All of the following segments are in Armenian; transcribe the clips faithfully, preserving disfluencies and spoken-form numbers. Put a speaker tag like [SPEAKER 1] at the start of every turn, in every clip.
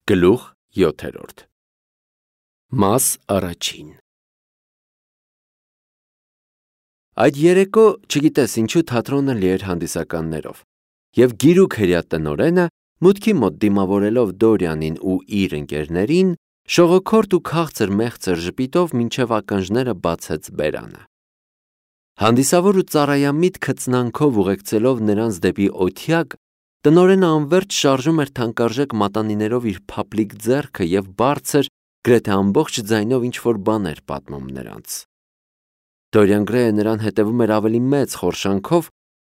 [SPEAKER 1] Գլուխ յոթերորդ Մաս առաջին Այդ երեկո, չգիտես ինչու, թատրոնը լի էր հանդիսականներով, և գիրուկ հրեատնօրենը, մուտքի մոտ դիմավորելով Դորյանին ու իր ընկերներին, շողոքորթ ու քաղցր մեղցր ժպիտով մինչև ականջները բացեց բերանը: Հանդիսավոր ու ծառայամիտ քծնանքով ուղեկցելով նրանց դեպի օթյակ, տնօրենը անվերջ շարժում էր թանկարժեք մատանիներով իր փափլիկ ձեռքը և բարձր, գրեթե ամբողջ ձայնով ինչ-որ բան էր պատմում նրանց: Դորիան Գրեյը նրան հետևում էր ավելի մեծ խորշանքով,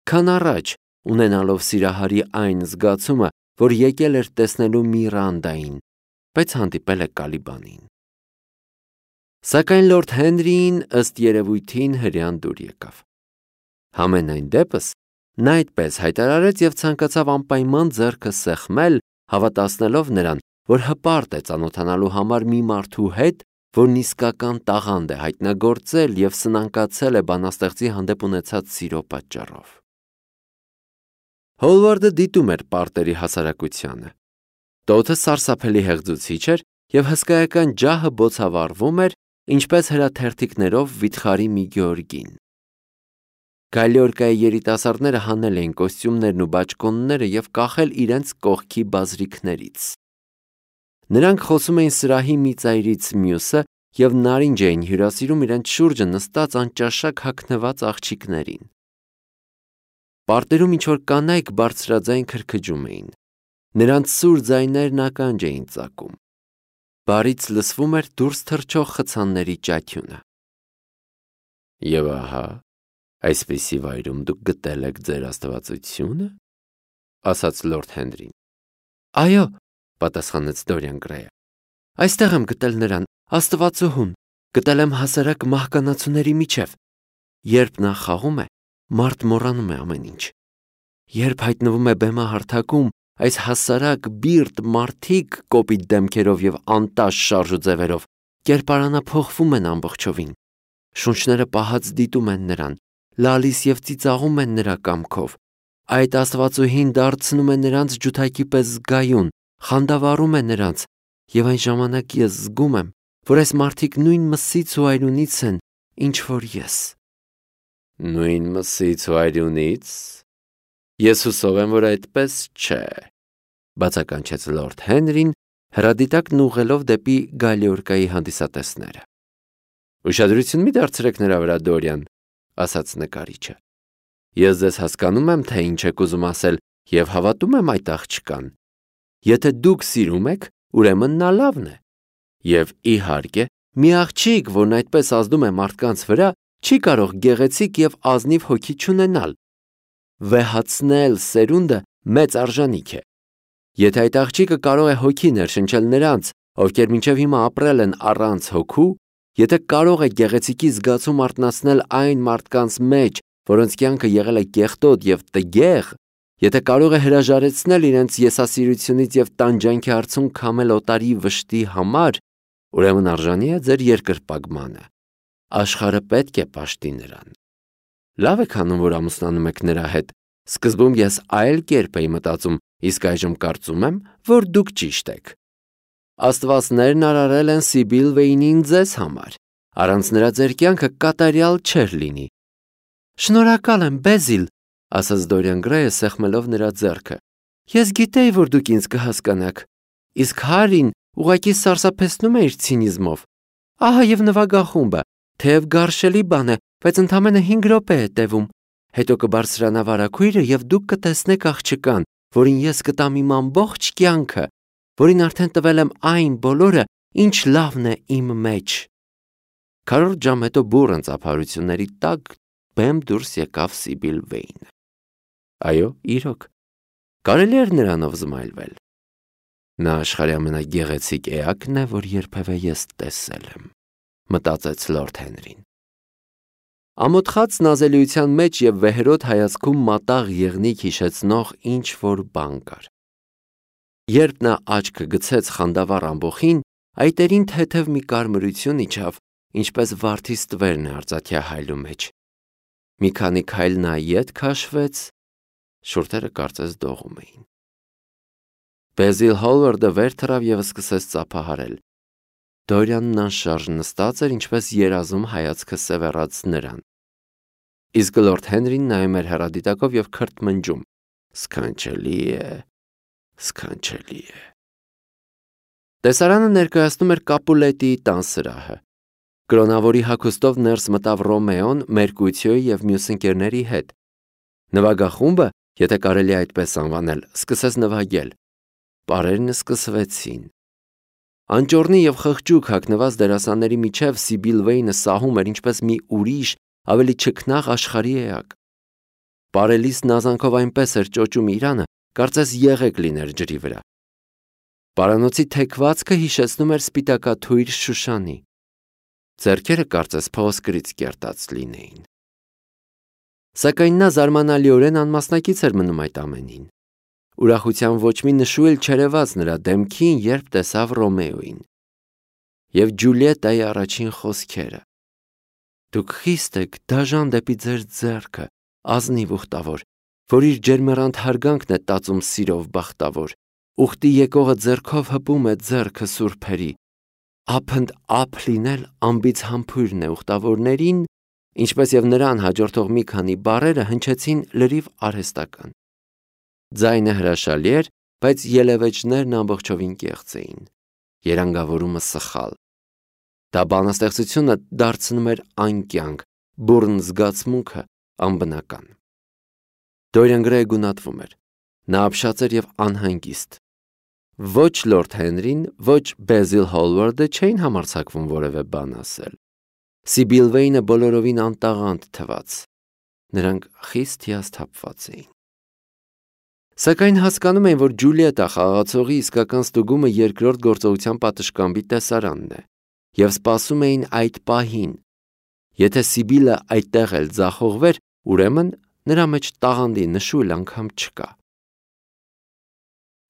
[SPEAKER 1] քան առաջ, ունենալով սիրահարի այն զգացումը, որ եկել էր տեսնելու Միրանդային, բայց հանդիպել է Կալիբանին: Սակայն լորդ Հենրիին, ըստ երևույթին, հրեան դուր եկավ: Համենայն դեպս, նա այդպես հայտարարեց և ցանկացավ անպայման ձեռքը սեղմել, հավատացնելով նրան, որ հպարտ է ծանոթանալու համար մի մարդու հետ, որն իսկական տաղանդ է հայտնագործել և սնանկացել է բանաստեղծի հանդեպ ունեցած սիրո պատճառով: Հոլվարդը դիտում էր պարտերի հասարակությանը: Տոթը սարսափելի հեղձուցիչ էր և հսկայական ջահը բոցավառվում էր, ինչպես հրաթերթիկներով վիթխարի մի գեորգին: Գալիորկայի երիտասարդները հանել էին կոստյումներն ու բաճկոնները և կախել իրենց կողքի բազրիքներից: Նրանք խոսում էին սրահի մի ծայրից մյուսը և նարինջ էին հյուրասիրում իրենց շուրջը նստած անճաշակ հագնված աղջիկներին: Պարտերում ինչ-որ կանայք բարձրաձայն քրքջում էին: Նրանց սուր ձայներն ականջ էին ծակում: Բարից լսվում էր դուրս թռչող խցանների ճաչյունը: Եվ ահա, այսպիսի վայրում դուք գտել եք ձեր աստվածությո՞ւնը: Ասաց լորդ Հենրին: Այո, պատասխանեց Դորիան Գրեյը: Այստեղ եմ գտել նրան, աստվածուհուն, գտել եմ հասարակ մահկանացուների միջև: Երբ նա խաղում է, մարդ մոռանում է ամեն ինչ: Երբ հայտնվում է բեմահարթակում, այս հասարակ բիրտ մարդիկ կոպիտ դեմքերով և անտաշ շարժ ու ձևերով կերպարանափոխվում են ամբողջովին: Շունչները պահած դիտում են նրան, լալիս և ծիծաղում են նրա կամքով: Այդ աստվածուհին դարձնում է նրանց ջութակի պես զգայուն, խանդավառում է նրանց, և այն ժամանակ ես զգում եմ, որ այս մարդիկ նույն մսից ու արյունից են, ինչ որ ես: Նույն մսից ու արյունի՞ց: Ես հուսով եմ, որ այդպես չէ: Բացականչեց լորդ Հենրին, հրադիտակն ուղղելով դեպի Գալիորկայի հանդիսատեսները: Ուշադրություն մի դարձրեք նրա վրա, Դորիան, ասաց նկարիչը: Ես ձեզ հասկանում եմ, թե ինչ եք ուզում ասել և հավատում եմ այդ աղջկան: Եթե դուք սիրում եք, ուրեմն նա լավն է: Եվ, իհարկե, մի աղջիկ, որն այդպես ազդում է մարդկանց վրա, չի կարող գեղեցիկ և ազնիվ հոգի չունենալ: Վեհացնել սերունդը մեծ արժանիք է: Եթե այդ աղջիկը կարող է հոգի ներշնչել նրանց, ովքեր մինչև հիմա ապրել են առանց հոգու, եթե կարող է գեղեցիկի զգացում արթնացնել այն մարդկանց մեջ, որոնց կյանքը եղել է կեղտոտ և տգեղ, եթե կարող է հրաժարեցնել իրենց եսասիրությունից և տանջանքի արցունք քամել օտարի վշտի համար, ուրեմն արժանի է ձեր երկրպագմանը: Աշխարհը պետք է պաշտի նրան: Լավ եք անում, որ ամուսնանում եք նրա հետ: Սկզբում ես այլ կերպ էի մտածում, իսկ այժմ կարծում եմ, որ դուք ճիշտ եք: Աստվածներն արարել են Սիբիլ Վեյնին ձեզ համար: Առանց նրա ձեր կյանքը կատարյալ չէր լինի: Շնորհակալ եմ, Բեզիլ, ասաց Դորիան Գրեյը, սեղմելով նրա ձեռքը: Ես գիտեի, որ դուք ինձ կհասկանաք: Իսկ Հարրին ուղղակի սարսափեցնում է իր ցինիզմով: Ահա և նվագախումբը, թեև գարշելի բան է, բայց ընդամենը հինգ րոպե է տևում: Հետո կբարձրանա վարագույրը և դուք կտեսնեք աղջկան, որին ես կտամ իմ ամբողջ կյանքը, որին արդեն տվել եմ այն բոլորը, ինչ լավն է իմ մեջ: Քառորդ ժամ հետո բուռն ծափարությունների տակ բեմ դուրս եկավ Սիբիլ Վեյնը: Այո, իրոք, կարելի էր նրանով զմայլվել: Նա աշխարհի ամենագեղեցիկ էակն է, որ երբևէ ես տեսել եմ, մտածեց լորդ Հենրին: Ամոթխած նազելիության մեջ և վեհերոտ հայացքում մատաղ եղնիկ հիշեցնող ինչ-որ բան կար: Երբ նա աչքը գցեց խանդավառ ամբոխին, այտերին թեթև մի կարմրություն իջավ, ինչպես վարդի ստվերն է արծաթյա հայլու մեջ: Մի քանի քայլ նա ետ քաշվեց, շուրթերը կարծես դողում էին: Բեզիլ Հոլվարդը վեր թռավ և սկսեց ծափահարել։ Դորյանն անշարժ նստած էր, ինչպես երազում հայացքը սևեռած նրան։ Իսկ լորդ Հենրին նայում էր հեռադիտակով և քրթմնջում. «Սքանչելի է, սքանչելի է»։ Տեսարանը ներկայացնում էր Կապուլետիի տան սրահը։ Կրոնավորի հագուստով ներս մտավ Ռոմեոն Մերկուցիոյի և մյուս ընկերների հետ։ Նվագախումբը, եթե կարելի է այդպես անվանել, սկսեց նվագել։ Պարերն սկսվեցին։ Անճոռնի և խղճուկ հագնված դերասանների միջև Սիբիլ Վեյնը սահում էր ինչպես մի ուրիշ, ավելի չքնաղ աշխարհի էակ։ Պարելիս նազանքով այնպես էր ճոճում իրանը, կարծես եղեգ լիներ ջրի վրա։ Պարանոցի թեքվածքը հիշեցնում էր սպիտակաթույր Շուշանի։ Ձեռքերը կարծես փղոսկրից կերտած լինեին։ Սակայն նա զարմանալիորեն անմասնակից էր մնում այդ ամենին։ Ուրախության ոչ մի նշույլ չերևաց նրա դեմքին, երբ տեսավ Ռոմեոին և Ջուլիետայի առաջին խոսքերը. «Դուք խիստ եք դաժան դեպի ձեր ձեռքը, ազնիվ ուխտավոր, որ իր ջերմեռանդ հարգանքն է տածում սիրով բախտավոր, ուխտի եկողը ձեռքով հպում է ձեռքը սուրբերի, ափընդ ափ լինել անբիծ համբույրն է ուխտավորներին», ինչպես և նրան հաջորդող մի քանի բառերը հնչեցին լրիվ արհեստական։ Ձայնը հրաշալի էր, բայց ելևէջներն ամբողջովին կեղծ էին։ Երանգավորումը սխալ։ Դա բանաստեղծությունը դարձնում էր անկյանք, բուռն զգացմունքը անբնական։ Դորիան Գրեյը գունատվում էր։ Նա ապշած էր և անհանգիստ։ Ոչ լորդ Հենրին, ոչ Բեզիլ Հոլվարդը չէին համարձակվում որևէ բան ասել։ Սիբիլ Վեյնը բոլորովին անտաղանդ թվաց։ Նրանք խիստ հիասթափված էին։ Սակայն հասկանում էին, որ Ջուլիետա խաղացողի իսկական ստուգումը երկրորդ գործողության պատշգամբի տեսարանն է, և սպասում էին այդ պահին։ Եթե Սիբիլը այդտեղ էլ ձախողվեր, ուրեմն նրա մեջ տաղանդի նշույլ անգամ չկա։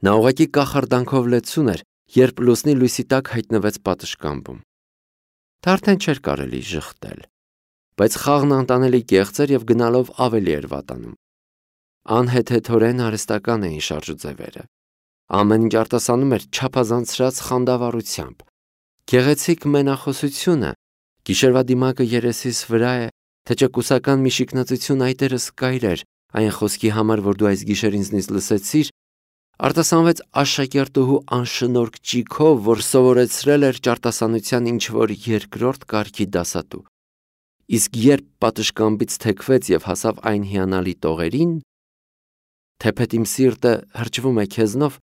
[SPEAKER 1] Նա ուղղակի կախարդանքով լեցուն էր, երբ լուսնի լույսի տակ հայտնվեց պատշգամբում։ Դա արդեն չէր կարելի ժխտել, բայց խաղն անտանելի կեղծ էր և գնալով ավելի էր վատանում։ Անհեթեթորեն արհեստական էին շարժուձևերը։ Ամեն ինչ արտասանում էր չափազանցրած խանդավառությամբ։ Գեղեցիկ մենախոսությունը, գիշերվա դիմակը երեսիս վրա է, թե չէ կուսական մի շիկնածություն այտերս կայրեր այն խոսքի համար, որ դու այս գիշեր ինձնից լսեցիր, արտասանվեց աշակերտուհու անշնորհք ճիգով, որ սովորեցրել էր ճարտասանության ինչ-որ երկրորդ կարգի դասատու։ Իսկ երբ պատշգամբից թեքվեց և հասավ այն հիանալի տողերին, թեպետ իմ սիրտը հրճվում է քեզնով,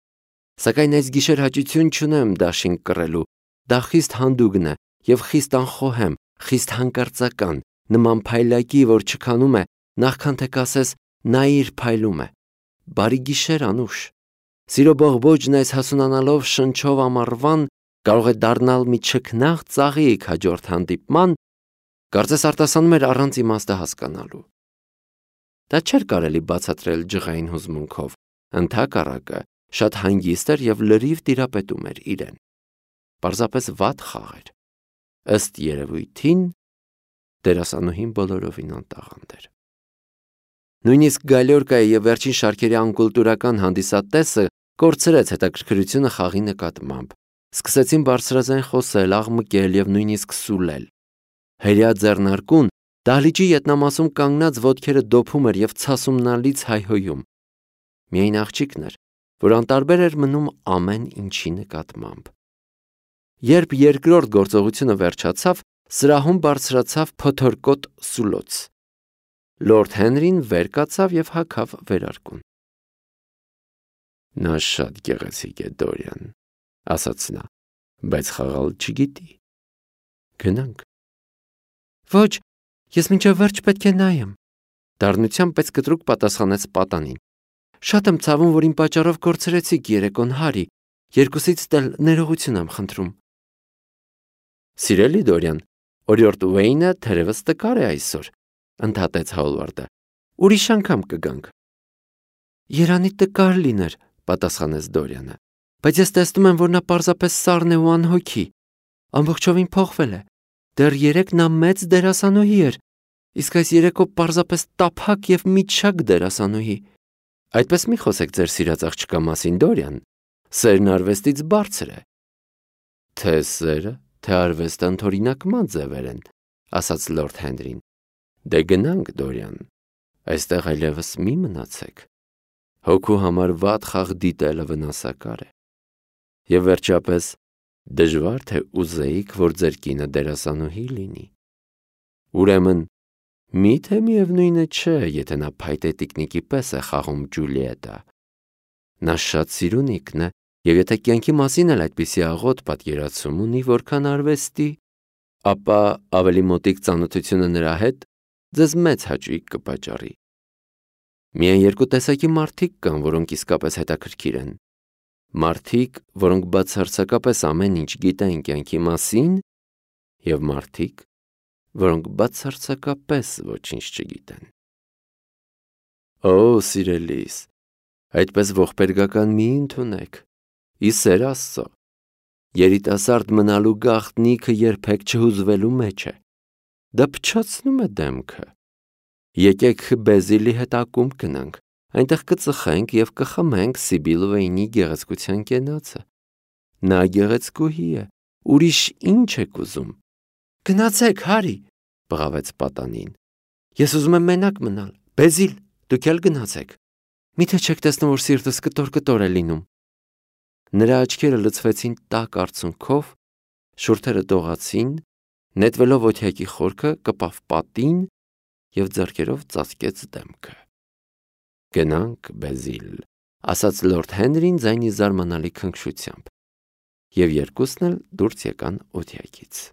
[SPEAKER 1] սակայն այս գիշեր հաճություն չունեմ դաշինք կռելու, դա խիստ հանդուգն է և խիստ անխոհեմ, խիստ հանկարծական, նման փայլակի, որ չքանում է, նախքան թե կասես նայիր փայլում է։ Բարի գիշեր, Անուշ։ Սիրո բողբոջն այս հասունանալով շնչով ամառվան կարող է դառնալ մի չքնաղ ծաղիկ հաջորդ հանդիպման, կարծես արտասանում էր առանց իմաստը հասկանալու։ Դա չէր կարելի բացատրել ջղային հուզմունքով, ընդհակառակը շատ հանգիստ էր և լրիվ տիրապետում էր իրեն։ Պարզապես վատ խաղ էր։ Ըստ երևույթին դերասանուհին բոլորովին անտաղանդ էր։ Նույնիսկ Գալյորկայի և վերջին շարքերի անկուլտուրական հանդիսատեսը կորցրեց հետաքրքրությունը խաղի նկատմամբ։ Սկսեցին բարձրաձայն խոսել, աղմկել և նույնիսկ սուլել։ Հրեա ձեռնարկուն դահլիճի ետնամասում կանգնած ոտքերը դոփում էր և ցասումնալից հայհոյում։ Միայն աղջիկն էր, որ անտարբեր էր մնում ամեն ինչի նկատմամբ։ Երբ երկրորդ գործողությունը վերջացավ, սրահում բարձրացավ փոթորկոտ սուլոց։ Լորդ Հենրին վեր կացավ և հագավ վերարկուն։ Նա շատ գեղեցիկ է, Դորիան, ասաց նա, բայց խաղալ չգիտի։ Գնանք։ Ոչ, ես մինչև վերջ պետք է նայեմ, դառնությամբ բայց կտրուկ պատասխանեց պատանին։ Շատ եմ ցավում, որ իմ պատճառով կորցրեցիք երեկոն, Հարի, երկուսից էլ ներողություն եմ խնդրում։ Սիրելի Դորիան, օրիորդ Ուեյնը թերևս տկար է այսօր, ընդհատեց Հոլվարդը։ Ուրիշ անգամ կգանք։ Երանի տկար լիներ, պատասխանեց Դորիանը, բայց ես տեսնում եմ, որ նա պարզապես սառն է ու անհոգի, ամբողջովին փոխվել է։ Դեռ երեկ նա մեծ դերասանուհի էր, իսկ այս երեկո պարզապես տափակ և միջակ դերասանուհի։ Այդպես մի խոսեք ձեր սիրած աղջկա մասին, Դորիան, Սերն արվեստից բարձր է։ Թե սերը, թե արվեստը ընդօրինակման ձևեր են, ասաց լորդ Հենրին։ Դե գնանք, Դորիան, այստեղ այլևս մի մնացեք։ Հոգու համար վատ խաղ դիտելը վնասակար է։ Եվ վերջապես, դժվար թե ուզեիք, որ ձեր կինը դերասանուհի լինի։ Ուրեմն, միթե միևնույնը չէ, եթե նա փայտե տիկնիկի պես է խաղում Ջուլիետտա։ Նա շատ սիրունիկն է, և եթե կյանքի մասին էլ այդպիսի աղոտ պատկերացում ունի, որքան արվեստի, ապա ավելի մոտիկ ծանոթությունը նրա հետ ձեզ մեծ հաճույք կպատճառի։ Միայն երկու տեսակի մարդիկ կան, որոնք իսկապես հետաքրքիր են։ Մարդիկ, որոնք բացարձակապես ամեն ինչ գիտեն կյանքի մասին, և մարդիկ, որոնք բացարձակապես ոչինչ չգիտեն։ Օ, սիրելիս, այդպես ողբերգական մի ընդունեք, ի սեր Աստծո, երիտասարդ մնալու գաղտնիքը երբեք չհուզվելու մեջ է, դա փչացնում է դեմքը։ Եկեք Բեզիլի հետ ակումբ գնանք, այնտեղ կծխենք և կխմենք Սիբիլվեյնի գեղեցկության կենացը։ Նա գեղեցկուհի է, ուրիշ ինչ եք ուզում։ Գնացեք, Հարի, բղավեց պատանին։ Ես ուզում եմ մենակ մնալ։ Բեզիլ, դուք էլ գնացեք։ Միթե չեք տեսնում, որ սիրտս կտոր-կտոր է լինում։ Նրա աչքերը լցվեցին տաք արցունքով, շուրթերը դողացին, նետվելով օթյակի խորքը, կպավ պատին և ձեռքերով ծածկեց դեմքը։ Գնանք, Բեզիլ, ասաց լորդ Հենրին ձայնի զարմանալի քնքշությամբ, և երկուսն էլ դուրս եկան օթյակից։